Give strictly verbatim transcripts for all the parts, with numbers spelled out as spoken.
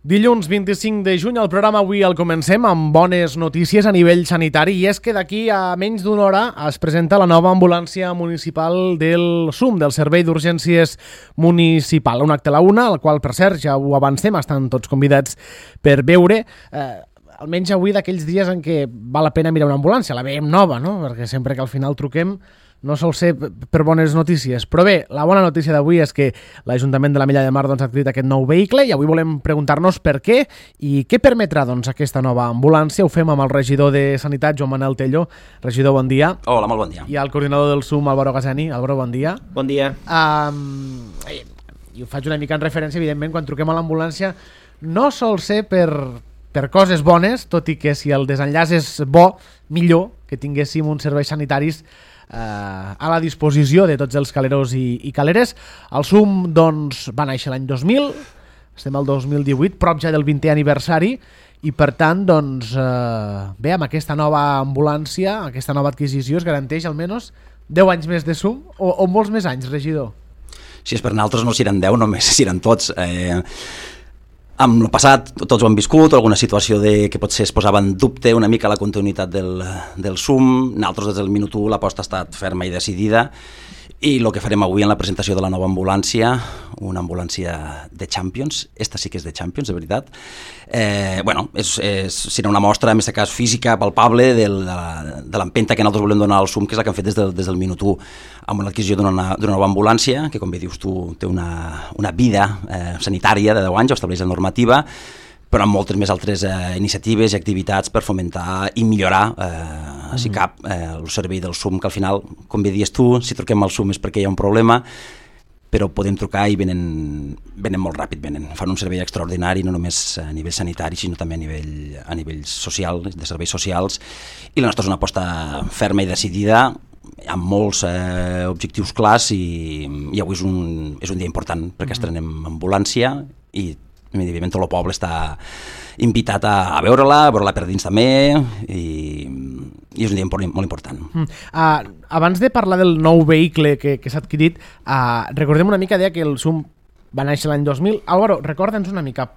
Dilluns vint-i-cinc de juny, el programa avui el comencem amb bones notícies a nivell sanitari, i és que d'aquí a menys d'una hora es presenta la nova ambulància municipal del S U M, del Servei d'Urgències Municipal. Un acte a la una, al qual, per cert, ja ho avancem, estan tots convidats per veure. Eh, almenys avui d'aquells dies en què val la pena mirar una ambulància, la veiem nova, no? Perquè sempre que al final truquem no sol ser per bones notícies. Però bé, la bona notícia d'avui és que l'Ajuntament de l'Ametlla de Mar doncs, ha adquirit aquest nou vehicle, i avui volem preguntar-nos per què i què permetrà doncs, aquesta nova ambulància. Ho fem amb el regidor de Sanitat, Joan Manel Tello. Regidor, bon dia. Hola, molt bon dia. I el coordinador del S U M, Álvaro Gazani. Álvaro, bon dia. Bon dia. Um, I ho faig una mica en referència, evidentment, quan truquem a l'ambulància no sol ser per, per coses bones, tot i que si el desenllaç és bo, millor que tinguéssim uns serveis sanitaris a la disposició de tots els caleros i, i caleres. El S U M doncs, va néixer l'any dos mil, estem al dos mil divuit, prop ja del vintè aniversari, i per tant, doncs, eh, bé, amb aquesta nova ambulància, aquesta nova adquisició, es garanteix almenys deu anys més de S U M, o, o molts més anys, regidor? Si és per nosaltres no seran deu, només seran tots. Eh, amb el passat tots ho han viscut, alguna situació de, que potser es posava en dubte una mica la continuïtat del, del S U M. Nosaltres des del minut u l'aposta ha estat ferma i decidida, i el que farem avui en la presentació de la nova ambulància, una ambulància de Champions, esta sí que és de Champions, de veritat, eh, bueno, és, és, serà una mostra, en aquest cas física, palpable, del, de l'empenta que nosaltres volem donar al S U M, que és la que hem fet des del, des del minut u, amb l'adquisició d'una nova ambulància, que com bé dius tu té una, una vida eh, sanitària de deu anys, ho estableix la normativa, però amb moltes més altres eh, iniciatives i activitats per fomentar i millorar, eh, si cap, eh, el servei del S U M, que al final, com bé dius tu, si truquem al S U M és perquè hi ha un problema, però podem trucar i venen, venen molt ràpid, venen, fan un servei extraordinari, no només a nivell sanitari, sinó també a nivell, a nivell social, de serveis socials, i la nostra és una aposta ferma i decidida, amb molts eh, objectius clars, i, i avui és un, és un dia important, perquè estrenem ambulància, i evidentment tot el poble està invitat a, a veure-la, a veure-la per dins també, i, i és un dia molt important. Mm. Uh, abans de parlar del nou vehicle que, que s'ha adquirit, uh, recordem una mica, deia que el S U M va néixer l'any dos mil. Álvaro, recorda'ns una mica,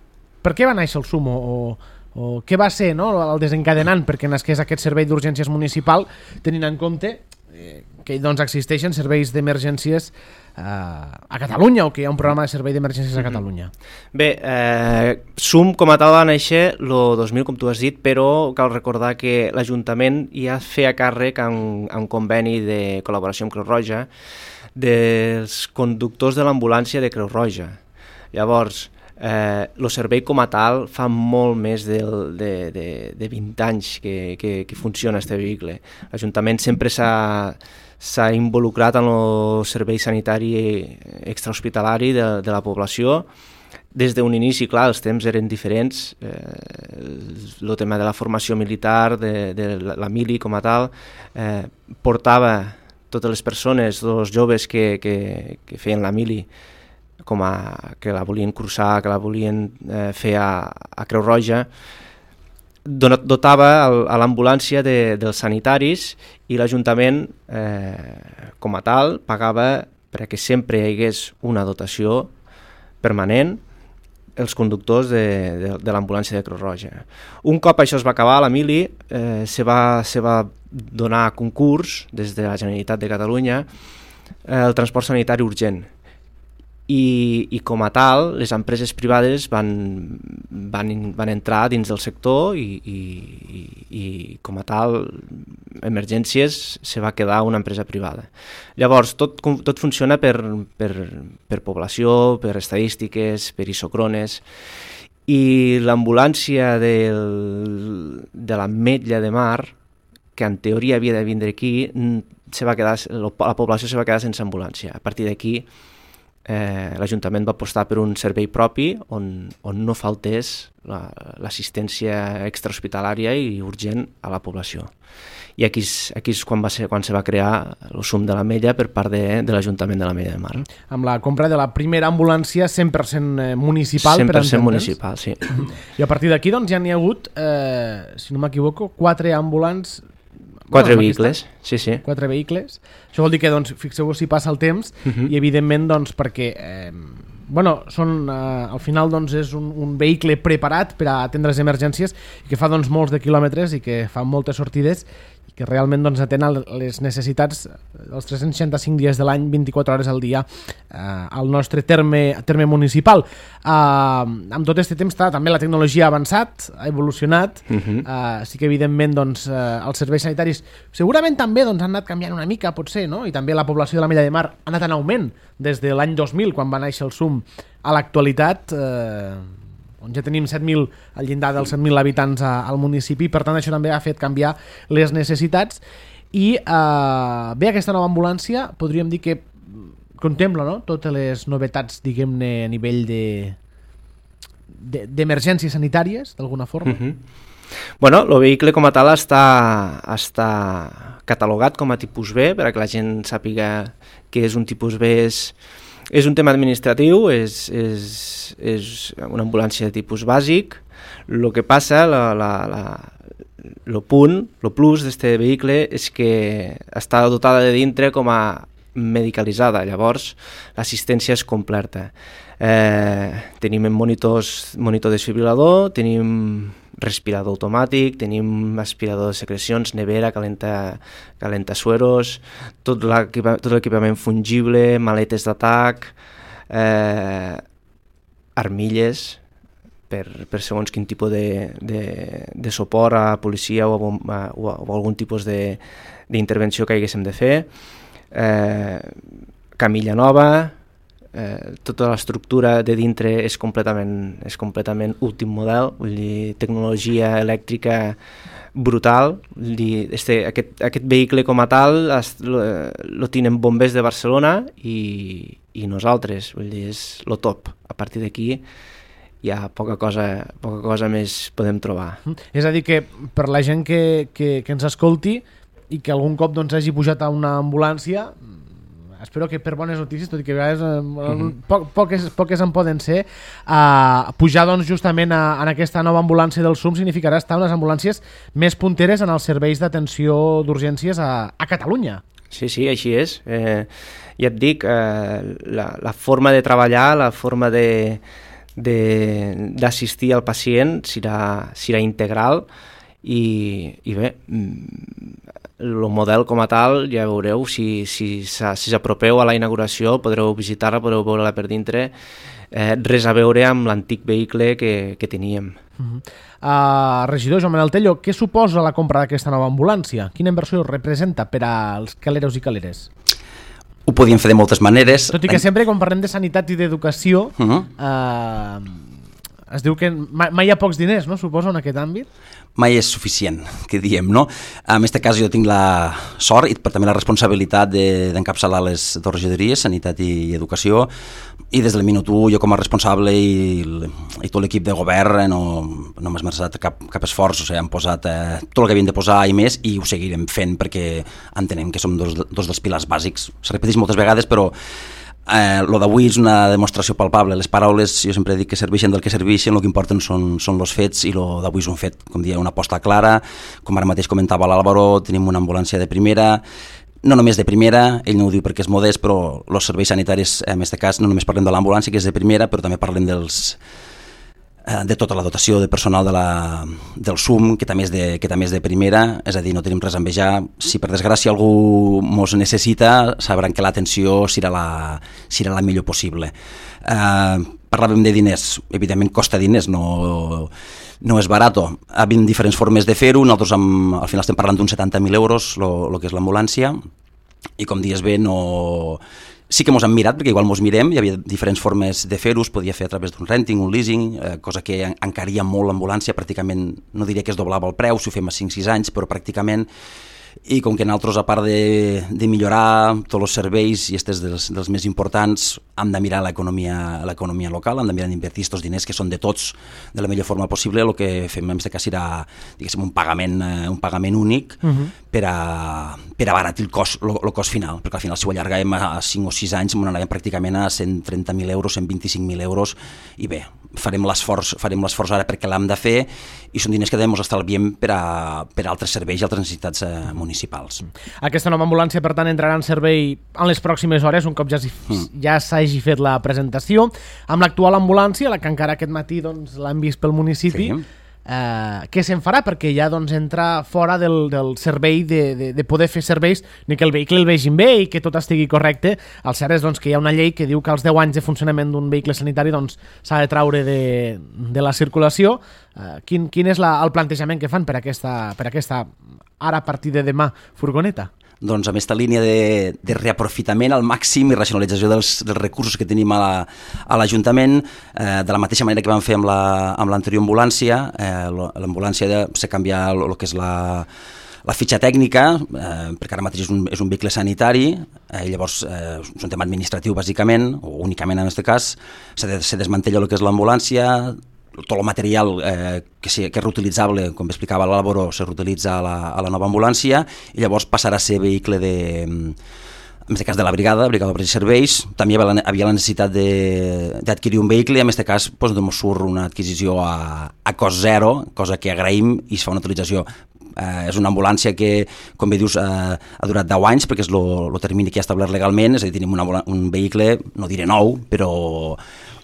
per què va néixer el S U M, o, o, o què va ser, no, el desencadenant perquè nasqués aquest servei d'urgències municipal, tenint en compte eh, que doncs, existeixen serveis d'emergències eh, a Catalunya, o que hi ha un programa de servei d'emergències a Catalunya. Bé, eh, S U M com a tal va néixer el dos mil, com tu has dit, però cal recordar que l'Ajuntament ja feia càrrec amb, amb conveni de col·laboració amb Creu Roja dels conductors de l'ambulància de Creu Roja. Llavors, eh, el servei com a tal fa molt més de, de, de, de vint anys que, que, que funciona este vehicle. L'Ajuntament sempre s'ha s'ha involucrat en el servei sanitari extrahospitalari de, de la població. Des d'un inici, clar, els temps eren diferents. Eh, el tema de la formació militar, de, de la mili com a tal, eh, portava totes les persones, els joves que, que, que feien la mili, com a, que la volien cursar, que la volien eh, fer a, a Creu Roja, dotava a l'ambulància de, dels sanitaris, i l'Ajuntament eh, com a tal pagava perquè sempre hi hagués una dotació permanent els conductors de, de, de l'ambulància de Creu Roja. Un cop això es va acabar, la mili eh, se, va, se va donar a concurs des de la Generalitat de Catalunya eh, el transport sanitari urgent. I, i com a tal, les empreses privades van, van, van entrar dins del sector, i, i, i, i com a tal, Emergències se va quedar una empresa privada. Llavors, tot, tot funciona per, per, per població, per estadístiques, per isocrones, i l'ambulància del, de l'Ametlla de Mar, que en teoria havia de vindre aquí, se va quedar, la població se va quedar sense ambulància. A partir d'aquí, Eh, l'Ajuntament va apostar per un servei propi on, on no faltés la, l'assistència extrahospitalària i urgent a la població. I aquí és, aquí és quan, va ser, quan se va crear el S U M de l'Ametlla per part de, de l'Ajuntament de l'Ametlla de Mar. Amb la compra de la primera ambulància cent per cent municipal. cent per cent municipal, sí. I a partir d'aquí doncs, ja n'hi ha hagut, eh, si no m'equivoco, quatre ambulants. Quatre bueno, vehicles, sí, sí. Quatre vehicles. Això vol dir que, doncs, fixeu-vos si passa el temps, uh-huh. i evidentment, doncs, perquè eh, bueno, són, eh, al final doncs, és un, un vehicle preparat per a atendre les emergències i que fa doncs, molts de quilòmetres i que fa moltes sortides i que realment doncs, atén les necessitats els tres-cents seixanta-cinc dies de l'any, vint-i-quatre hores al dia eh, al nostre terme, terme municipal. Eh, amb tot aquest temps també la tecnologia ha avançat, ha evolucionat, uh-huh. eh, sí que evidentment doncs, eh, els serveis sanitaris segurament també doncs, han anat canviant una mica, potser, no? I també la població de la Milla de Mar ha anat en augment des de l'any dos mil, quan va néixer el S U M, a l'actualitat, eh, on ja tenim set mil al llindar dels set mil habitants a, al municipi, per tant això també ha fet canviar les necessitats i eh, bé, aquesta nova ambulància podríem dir que contempla, no?, totes les novetats, diguem-ne, a nivell de d'emergències sanitàries, d'alguna forma. Uh-huh. Bueno, el vehicle com a tal està, està catalogat com a tipus B, perquè la gent sàpiga que és un tipus B. És, és un tema administratiu, és, és, és una ambulància de tipus bàsic. El que passa, la, la, la, el punt, el plus d'aquest vehicle és que està dotada de dintre com a medicalitzada, llavors l'assistència és completa. Eh, tenim monitors, monitor desfibrilador, tenim respirador automàtic, tenim aspirador de secrecions, nevera, calenta, calenta sueros, tot l'equipament fungible, maletes d'atac, eh, armilles per, per segons quin tipus de, de, de suport a policia o a, a, o a, o a algun tipus d'intervenció que haguéssim de fer, eh, camilla nova, Eh, tota l'estructura de dintre és completament, és completament últim model, vull dir, tecnologia elèctrica brutal, vull dir, este, aquest, aquest vehicle com a tal es, lo, lo tenen bombers de Barcelona i, i nosaltres, vull dir, és lo top. A partir d'aquí hi ha poca cosa, poca cosa més podem trobar. És a dir que per la gent que, que, que ens escolti i que algun cop doncs, hagi pujat a una ambulància, espero que per bones notícies, tot i que a vegades eh, uh-huh. po poques, poques en poden ser, eh, pujar doncs, justament a, en aquesta nova ambulància del S U M significarà estar en les ambulàncies més punteres en els serveis d'atenció d'urgències a, a Catalunya. Sí, sí, així és. Eh, ja et dic, eh, la, la forma de treballar, la forma de d'assistir al pacient serà, serà integral i, i bé, el model com a tal ja veureu, si, si, si s'apropeu a la inauguració podreu visitar-la, podreu veure-la per dintre, eh, res a veure amb l'antic vehicle que, que teníem. Uh-huh. uh, regidor Joan Manel Tello, què suposa la compra d'aquesta nova ambulància? Quina inversió representa per als caleros i caleres? Ho podíem fer de moltes maneres. Tot i que sempre quan parlem de sanitat i d'educació uh-huh. uh, es diu que mai, mai hi ha pocs diners, no? Suposa, en aquest àmbit? Mai és suficient, que diem, no? En aquest cas jo tinc la sort i també la responsabilitat d'encapçalar de, les dues regidories, Sanitat i Educació, i des del minut u jo com a responsable i, i tot l'equip de govern no, no m'ha esmerçat cap, cap esforç, o sigui, hem posat eh, tot el que havíem de posar i més, i ho seguirem fent perquè entenem que som dos, dos dels pilars bàsics. Se repeteix moltes vegades, però Eh, lo d'avui és una demostració palpable. Les paraules, jo sempre dic que serveixen del que serveixen, el que importen són, són els fets, i lo d'avui és un fet, com dia, una aposta clara. Com ara mateix comentava l'Àlvaro, tenim una ambulància de primera, no només de primera, ell no ho diu perquè és modest, però els serveis sanitaris, en aquest cas, no només parlem de l'ambulància, que és de primera, però també parlem dels de tota la dotació de personal de la, del S U M, que també, és de, que també és de primera, és a dir, no tenim res a envejar. Si per desgràcia algú mos necessita, sabran que l'atenció serà la, serà la millor possible. Eh, parlàvem de diners, evidentment costa diners, no, no és barat. Hi ha diferents formes de fer-ho, nosaltres amb, al final estem parlant d'uns setanta mil euros, el que és l'ambulància, i com dius bé, no... Sí que mos han mirat, perquè igual mos mirem, hi havia diferents formes de fer-ho, es podia fer a través d'un renting, un leasing, eh, cosa que encaria molt l'ambulància, pràcticament, no diria que es doblava el preu, si ho fem a cinc sis anys, però pràcticament, i com que nosaltres, a part de, de millorar tots els serveis, i aquests dels, dels més importants, hem de mirar l'economia local, hem de mirar d'invertir aquests diners que són de tots de la millor forma possible. El que fem en aquest cas serà, diguéssim, un pagament, un pagament únic uh-huh. per, a, per abaratir el cost, el, el cost final, perquè al final si ho allargàvem a cinc o sis anys m'anàvem pràcticament a cent trenta mil euros, cent vint-i-cinc mil euros, i bé, farem l'esforç farem l'esforç ara perquè l'hem de fer, i són diners que també ens estalviem per a, per a altres serveis i altres necessitats eh, municipals. Aquesta nova ambulància, per tant, entrarà en servei en les pròximes hores, un cop ja, mm. ja s'hagi fet la presentació. Amb l'actual ambulància, la que encara aquest matí doncs, l'han vist pel municipi, sí. eh, què se'n farà? Perquè ja doncs, entra fora del, del servei de, de, de poder fer serveis, ni que el vehicle el vegin bé i que tot estigui correcte. El cert és doncs, que hi ha una llei que diu que als deu anys de funcionament d'un vehicle sanitari doncs, s'ha de traure de, de la circulació. Eh, quin, quin és la, el plantejament que fan per aquesta, per aquesta ara a partir de demà furgoneta? Doncs amb aquesta línia de, de reaprofitament al màxim i racionalització dels, dels recursos que tenim a l'Ajuntament, la, eh, de la mateixa manera que vam fer amb l'anterior la, ambulància, eh, l'ambulància s'ha canviat el que és la, la fitxa tècnica, eh, perquè ara mateix és un, és un vehicle sanitari, eh, llavors eh, és un tema administratiu bàsicament, o únicament en aquest cas, se, de, se desmantella el que és l'ambulància, tot el material eh, que, sí, que és reutilitzable, com explicava l'Àlvaro, se reutilitza a la, a la nova ambulància i llavors passarà a ser vehicle de, en aquest cas de la brigada, brigada d'obres i serveis. També hi havia la necessitat d'adquirir un vehicle i en aquest cas doncs, ens surt una adquisició a, a cost zero, cosa que agraïm i es fa una utilització. Eh, és una ambulància que, com bé dius, eh, ha durat deu anys perquè és el termini que ha establert legalment, és a dir, tenim una, un vehicle, no diré nou, però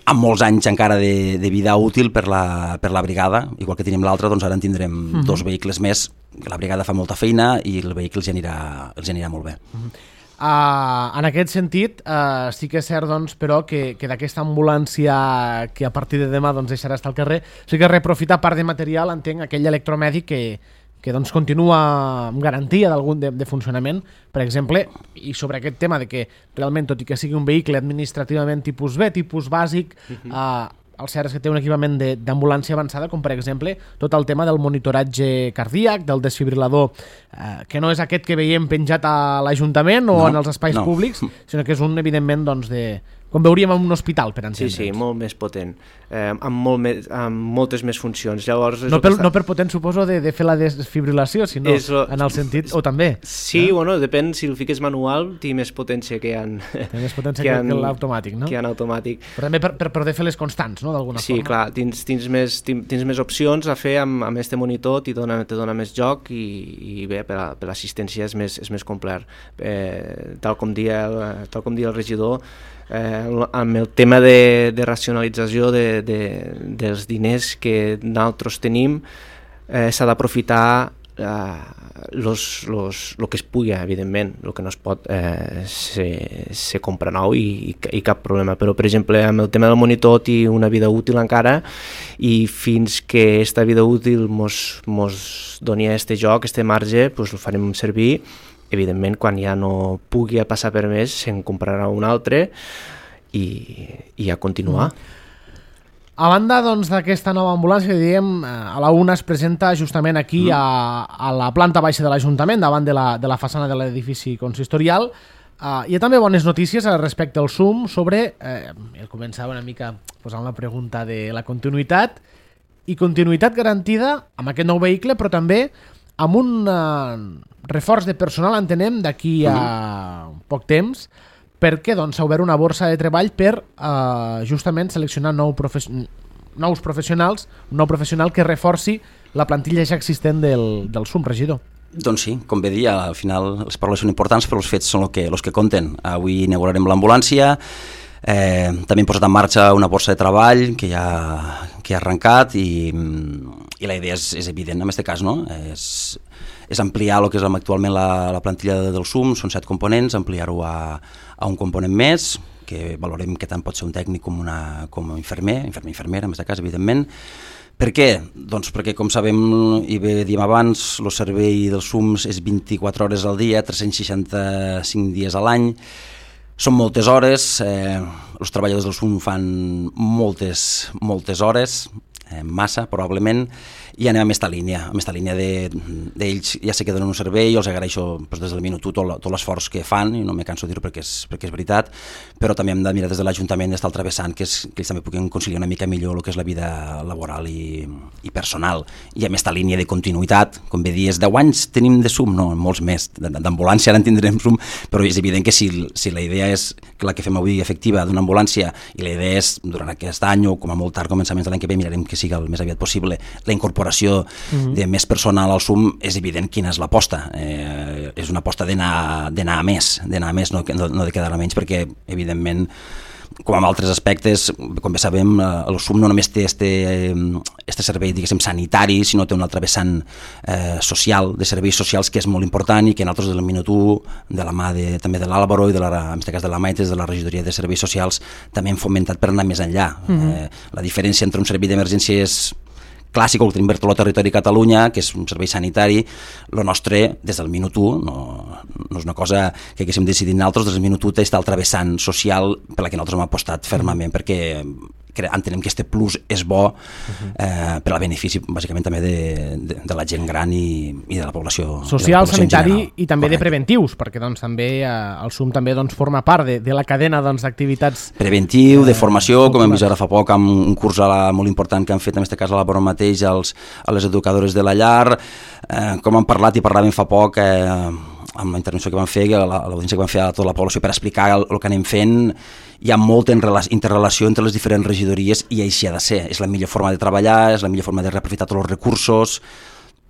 amb molts anys encara de, de vida útil per la, per la brigada, igual que tenim l'altra, doncs ara en tindrem uh-huh. dos vehicles més, la brigada fa molta feina i el vehicle els anirà, els anirà molt bé. Uh-huh. Uh, en aquest sentit, uh, sí que és cert, doncs, però, que, que d'aquesta ambulància que a partir de demà doncs, deixarà estar al carrer, sí que reprofita part de material, entenc, aquell electromèdic que, que doncs, continua amb garantia d'algun de, de funcionament, per exemple, i sobre aquest tema de que realment, tot i que sigui un vehicle administrativament tipus B, tipus bàsic, uh-huh. eh, el cert és que té un equipament d'ambulància avançada, com per exemple tot el tema del monitoratge cardíac, del desfibrilador, eh, que no és aquest que veiem penjat a l'Ajuntament o no, en els espais no. públics, sinó que és un, evidentment, doncs, de... com veuríem en un hospital, per entendre'ns. Sí, sí, molt més potent, eh, amb, molt més, amb moltes més funcions. Llavors, no, per, està... no per potent, suposo, de, de fer la desfibrilació, sinó lo... en el sentit, o també. Sí, eh? Bueno, depèn, si el fiques manual, té més potència que en... Té més potència que, que, que l'automàtic, no? Que en automàtic. Però també per, per poder fer les constants, no?, d'alguna sí, forma. Sí, clar, tens, tens, més, tens, tens més opcions a fer amb, amb este monitor, t'hi dona, te dona més joc i, i bé, per, a, per l'assistència és més, és més complet. Eh, tal com dia, tal com dia el regidor, Eh, amb el tema de, de racionalització de, de, dels diners que nosaltres tenim, eh, s'ha d'aprofitar eh, los, los, lo que es pugui, evidentment. El que no es pot eh, se, se compra nou i, i cap problema, però per exemple amb el tema del monitor té una vida útil encara i fins que aquesta vida útil mos, mos doni este joc, este marge, pues el farem servir. Evidentment, quan ja no pugui passar per més, se'n comprarà un altre i, i a continuar. Mm. A banda doncs, d'aquesta nova ambulància, diem, a la una es presenta justament aquí mm. a, a la planta baixa de l'Ajuntament, davant de la, de la façana de l'edifici consistorial. Uh, hi ha també bones notícies respecte al S U M sobre, eh, el començava una mica posant la pregunta de la continuïtat, i continuïtat garantida amb aquest nou vehicle, però també amb un uh, reforç de personal, entenem, d'aquí a uh, poc temps, perquè doncs, s'ha obert una borsa de treball per uh, justament seleccionar nou profe nous professionals, un nou professional que reforci la plantilla ja existent del, del S U M, regidor. Doncs sí, com bé dir, al final les paraules són importants, però els fets són els que, els que compten. Avui inaugurarem l'ambulància, eh, també hem posat en marxa una borsa de treball que ja, que ha arrencat i, i la idea és, és evident en aquest cas, no? És, és ampliar el que és actualment la, la plantilla del S U M, són set components, ampliar-ho a, a un component més, que valorem que tant pot ser un tècnic com, una, com un infermer, infermer, infermera, en aquest cas, evidentment. Per què? Doncs perquè, com sabem i bé diem abans, el servei del S U M és vint-i-quatre hores al dia, tres-cents seixanta-cinc dies a l'any. Són moltes hores, eh, els treballadors del S U M fan moltes, moltes hores, eh, massa probablement, i anem amb aquesta línia, amb aquesta línia d'ells de, ja sé que donen un servei, els agraeixo doncs, des del minut u tot, tot l'esforç que fan, i no me canso de dir-ho perquè, és, perquè és veritat, però també hem de mirar des de l'Ajuntament d'estar travessant, que, és, que ells també puguin conciliar una mica millor el que és la vida laboral i, i personal, i amb aquesta línia de continuïtat, com bé dies, deu anys tenim de S U M, no, molts més, d'ambulància ara en tindrem S U M, però és evident que si, si la idea és que la que fem avui efectiva d'una ambulància, i la idea és durant aquest any o com a molt tard començaments de l'any que ve mirarem que sigui el més aviat possible. La incorporació uh-huh. de més personal al SUM és evident quina és l'aposta. Eh, és una aposta d'anar d'anar a més, d'anar a més, no, no, no de quedar a menys, perquè evidentment com en altres aspectes, com bé sabem, el SUM no només té este, este servei, diguéssim, sanitari, sinó té un altre vessant eh, social, de serveis socials, que és molt important i que nosaltres del minut u, de la mà de, també de l'Àlvaro i de la, en aquest cas de la Maites, de la Regidoria de Serveis Socials, també hem fomentat per anar més enllà. Mm-hmm. eh, la diferència entre un servei d'emergència és clàssic, el que tenim per tot el territori de Catalunya, que és un servei sanitari. El nostre, des del minut u, no, no és una cosa que haguéssim decidit nosaltres, des del minut u té aquest altre vessant social per la que nosaltres hem apostat fermament, perquè entenem que este plus és bo eh, per al benefici, bàsicament, també de, de, de la gent gran i, i de la població social, la població sanitari i també Correcte. De preventius, perquè doncs, també eh, el SUM també doncs, forma part de, de la cadena d'activitats doncs, preventiu, de formació, eh, com hem vist ara fa poc amb un curs a la, molt important que han fet en aquest cas a la Vora mateix als, a les educadores de la llar, eh, com han parlat i parlàvem fa poc eh, amb la intervenció que van fer, l'audiència que van fer a tota la població per explicar el, el que anem fent. Hi ha molta interrelació entre les diferents regidories i així ha de ser. És la millor forma de treballar, és la millor forma de reaprofitar tots els recursos,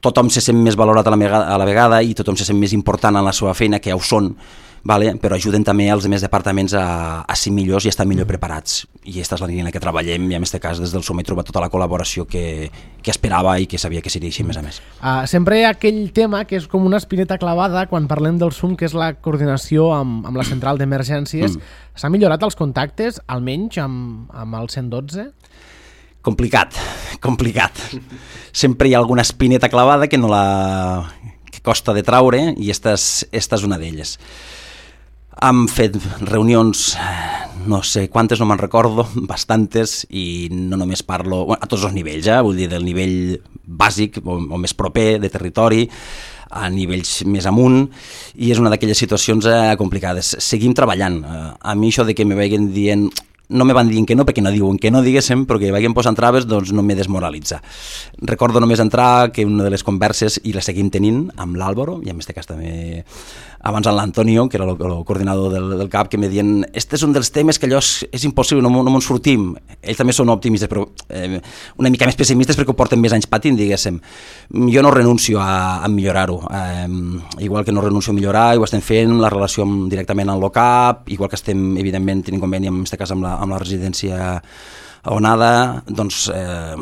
tothom se sent més valorat a la, vegada, a la vegada i tothom se sent més important en la seva feina, que ja ho són, vale? Però ajuden també els altres departaments a, a ser millors i a estar millor preparats. I aquesta és la línia en la que treballem i en aquest cas des del SUM he trobat tota la col·laboració que, que esperava i que sabia que seria així, més a més. Uh, sempre hi ha aquell tema que és com una espineta clavada quan parlem del SUM, que és la coordinació amb, amb la central d'emergències. Mm. S'han millorat els contactes, almenys amb, amb el cent dotze? Complicat, complicat. Sempre hi ha alguna espineta clavada que no la... que costa de traure i esta és, esta és una d'elles. Hem fet reunions, no sé quantes, no me'n recordo, bastantes, i no només parlo bueno, a tots els nivells, eh? Vull dir, del nivell bàsic o, o més proper de territori, a nivells més amunt, i és una d'aquelles situacions eh, complicades. Seguim treballant. A mi això de que me vagin dient... No me van dient que no, perquè no diuen que no, diguéssim, però que vagin posant traves, doncs no me desmoralitza. Recordo només entrar que una de les converses, i la seguim tenint, amb l'Àlvaro, i en aquest cas també abans amb l'Antonio, que era el, el coordinador del, del C A P, que me diuen, este és un dels temes que allò és, és impossible, no, no me'n sortim. Ells també són optimistes, però eh, una mica més pessimistes perquè ho porten més anys patint, diguéssim. Jo no renuncio a, a millorar-ho. Eh, igual que no renuncio a millorar, i ho estem fent, la relació amb, directament amb l'O C A P, igual que estem, evidentment, tenint conveni, en aquest cas, amb la, amb la residència Onada, doncs eh,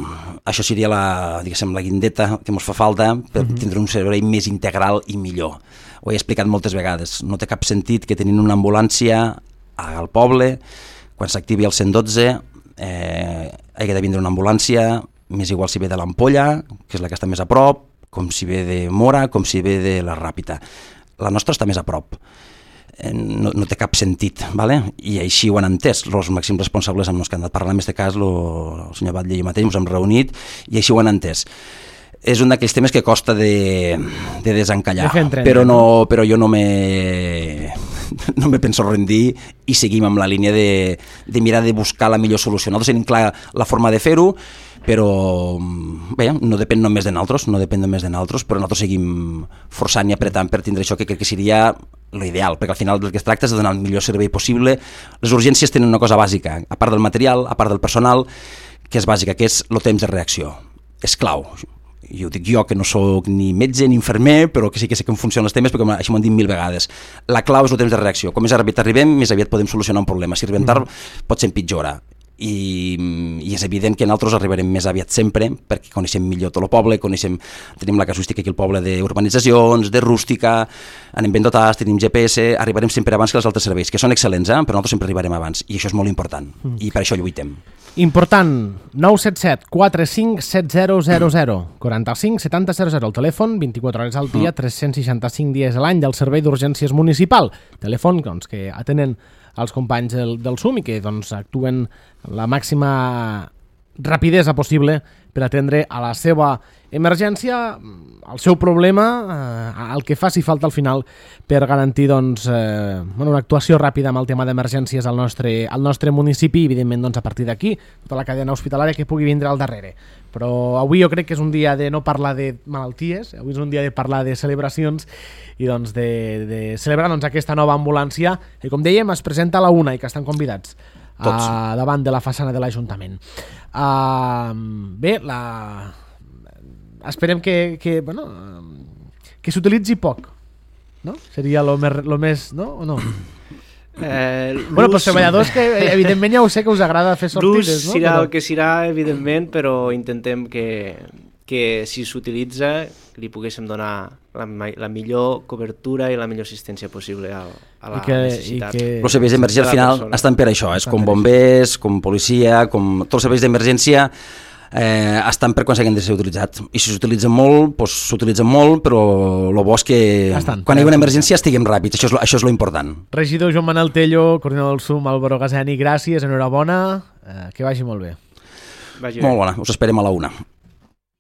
això seria la, diguéssim, la guindeta que ens fa falta per uh-huh. tindre un servei més integral i millor. Ho he explicat moltes vegades. No té cap sentit que tenint una ambulància al poble, quan s'activi el cent dotze, eh, hagi de vindre una ambulància, més igual si ve de l'Ampolla, que és la que està més a prop, com si ve de Mora, com si ve de la Ràpita. La nostra està més a prop. No, no té cap sentit, ¿vale? I així ho han entès els màxims responsables amb els que han anat parlant, en aquest cas lo, el senyor Batlle i jo mateix ens hem reunit i així ho han entès. És un d'aquells temes que costa de, de desencallar, de però, no, però jo no me, no me penso rendir i seguim amb la línia de, de mirar de buscar la millor solució. Nosaltres tenim clar la forma de fer-ho, però bé, no depèn només de nosaltres, no depèn només de nosaltres, però nosaltres seguim forçant i apretant per tindre això, que crec que seria l'ideal, perquè al final del que es tracta és de donar el millor servei possible. Les urgències tenen una cosa bàsica, a part del material, a part del personal, que és bàsica, que és el temps de reacció. És clau. I ho dic jo, que no sóc ni metge ni infermer, però que sí que sé com funcionen els temes, perquè així m'ho han dit mil vegades. La clau és el temps de reacció. Com més aviat arribem, més aviat podem solucionar un problema. Si arribem tard, pot ser empitjora. I, i és evident que nosaltres arribarem més aviat sempre, perquè coneixem millor tot el poble, coneixem, tenim la casuística aquí al poble d'urbanitzacions, de rústica, anem ben dotats, tenim G P S, arribarem sempre abans que els altres serveis, que són excel·lents, eh? Però nosaltres sempre arribarem abans, i això és molt important, mm. i per això lluitem. Important, nou set set quatre cinc set zero zero zero, quaranta-cinc setanta zero zero, el telèfon, vint-i-quatre hores al dia, mm. tres cents seixanta-cinc dies a l'any del Servei d'Urgències Municipal, telèfon doncs, que atenen els companys del, del SUM i que doncs, actuen la màxima rapidesa possible per atendre a la seva emergència, al seu problema, eh, el que faci falta al final per garantir doncs, eh, bueno, una actuació ràpida amb el tema d'emergències al nostre, al nostre municipi i evidentment doncs, a partir d'aquí tota la cadena hospitalària que pugui vindre al darrere. Però avui jo crec que és un dia de no parlar de malalties, avui és un dia de parlar de celebracions i doncs, de, de celebrar doncs, aquesta nova ambulància que, com dèiem, es presenta a la una i que estan convidats uh, davant de la façana de l'Ajuntament. Uh, bé, la... esperem que, que, bueno, que s'utilitzi poc, no? Seria lo més, lo més, no? O no? Eh, bueno, però treballadors que evidentment ja ho sé que us agrada fer sortides, l'ús no? serà Però... el que serà, evidentment, però intentem que, que si s'utilitza li poguéssim donar la, la millor cobertura i la millor assistència possible a, a la que, necessitat. que... Els serveis d'emergència al final persona. Estan per això, és com bombers, com policia, com tots els serveis d'emergència eh, estan per quan s'hagin de ser utilitzat. I si s'utilitzen molt, doncs s'utilitzen molt, però el bo és que estan, quan hi ha una emergència estiguem ràpids, això és, lo, això és lo important. Regidor Joan Manel Tello, coordinador del SUM, Álvaro Gazeni, gràcies, enhorabona, eh, que vagi molt bé. Vagi molt bé. bona, us esperem a la una.